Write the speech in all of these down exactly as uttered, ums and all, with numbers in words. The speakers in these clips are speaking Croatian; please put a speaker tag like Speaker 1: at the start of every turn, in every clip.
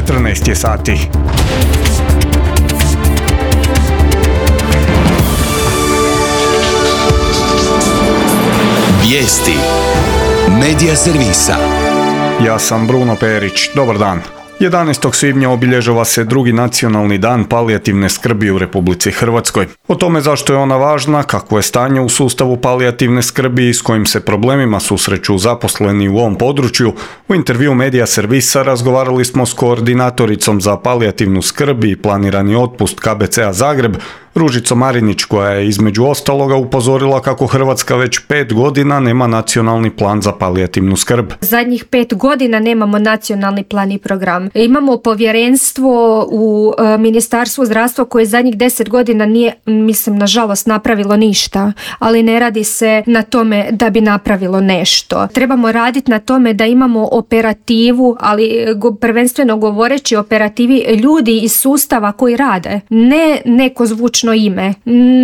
Speaker 1: četrnaest je sati.
Speaker 2: Vijesti Medija servisa.
Speaker 1: Ja sam Bruno Perić. Dobar dan. jedanaestog svibnja obilježava se drugi nacionalni dan palijativne skrbi u Republici Hrvatskoj. O tome zašto je ona važna, kakvo je stanje u sustavu palijativne skrbi i s kojim se problemima susreću zaposleni u ovom području, u intervju Medija servisa razgovarali smo s koordinatoricom za palijativnu skrb i planirani otpust K B C-a Zagreb, Ružicom Marinić, koja je između ostaloga upozorila kako Hrvatska već pet godina nema nacionalni plan za palijativnu skrb.
Speaker 3: Zadnjih pet godina nemamo nacionalni plan i program. Imamo povjerenstvo u e, Ministarstvu zdravstva koje zadnjih deset godina nije, mislim, nažalost napravilo ništa, ali ne radi se na tome da bi napravilo nešto. Trebamo raditi na tome da imamo operativu, ali go, prvenstveno govoreći operativi ljudi iz sustava koji rade, ne neko zvučno ime.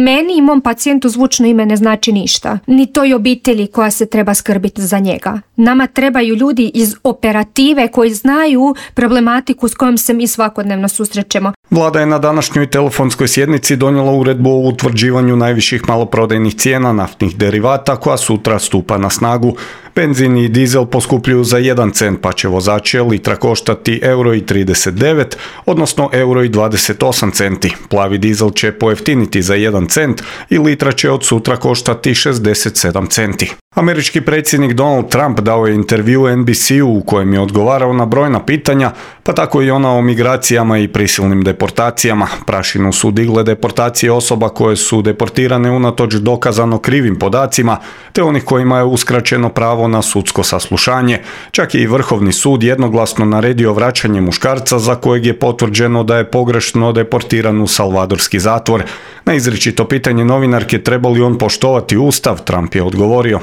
Speaker 3: Meni i mom pacijentu zvučno ime ne znači ništa. Ni toj obitelji koja se treba skrbiti za njega. Nama trebaju ljudi iz operative koji znaju problematiku s kojom se mi svakodnevno susrećemo.
Speaker 1: Vlada je na današnjoj telefonskoj sjednici donijela uredbu o utvrđivanju najviših maloprodajnih cijena naftnih derivata koja sutra stupa na snagu. Benzin i dizel poskupljuju za jedan cent, pa će vozače litra koštati euro i trideset devet, odnosno euro i dvadeset osam centi. Plavi dizel će pojeftiniti za jedan cent i litra će od sutra koštati šezdeset sedam centi. Američki predsjednik Donald Trump dao je intervju N B C-u u kojem je odgovarao na brojna pitanja, pa tako i ona o migracijama i prisilnim deportacijama. Prašinu su digle deportacije osoba koje su deportirane unatoč dokazano krivim podacima, te onih kojima je uskraćeno pravo na sudsko saslušanje. Čak je i Vrhovni sud jednoglasno naredio vraćanje muškarca za kojeg je potvrđeno da je pogrešno deportiran u salvadorski zatvor. Na izričito pitanje novinarke treba li on poštovati Ustav, Trump je odgovorio: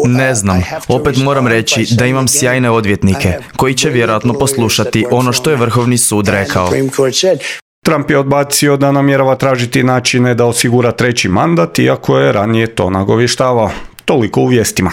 Speaker 4: Ne znam, opet moram reći da imam sjajne odvjetnike koji će vjerojatno poslušati ono što je Vrhovni sud rekao.
Speaker 1: Trump je odbacio da namjerava tražiti načine da osigura treći mandat, iako je ranije to nagovještavao. Toliko u vijestima.